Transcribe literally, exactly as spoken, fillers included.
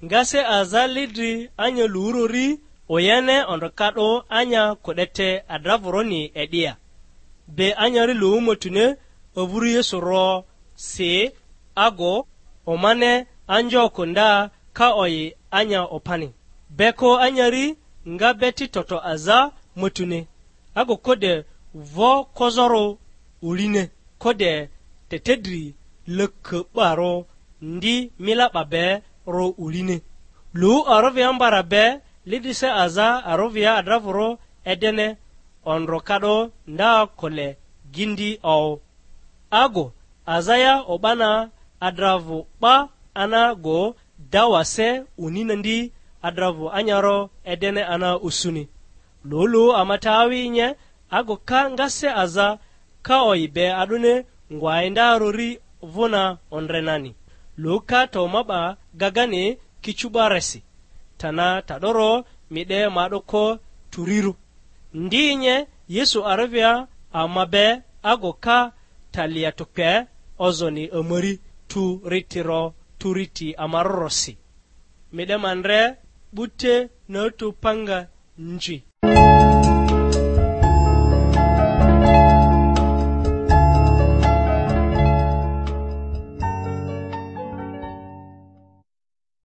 Nga se aza li dri anya luurori, oyene ondroka 'do anya ku'dete adravuroni e'dia. Be anyari luwu motune ovuru Yesu ro si, ago omane anjoku nda ka oyi anya opani. Beko anyari nga beti toto aza motune, ago kode vo kozorᴜ uline, kode tetedri lökö'barᴜ ndi mila 'ba be ro uline. Lu arovia mbara be, lidrise aza arovia adravurᴜ edene, ondro ka 'do nda kole gindi oᴜ. Ago azaya o'bana adravᴜ 'ba ana go dawa se unina ndi adravᴜ anyaro edene ana usuni. Lulu amata awi nye, ago ka nga se aza ka oyi be a'dᴜni ngwa inda rori vᴜna ondre nani. Lu ka to ma 'ba gagani kicu 'baresi, tana ta'doro mi 'de ma 'doko turirᴜ. Ndi nye Yesu aravia ama be ago ka talia tukpe ozoni amari tu ritiro tu riti amarorosi. Mi 'de ma ndre 'bute natu panga nji.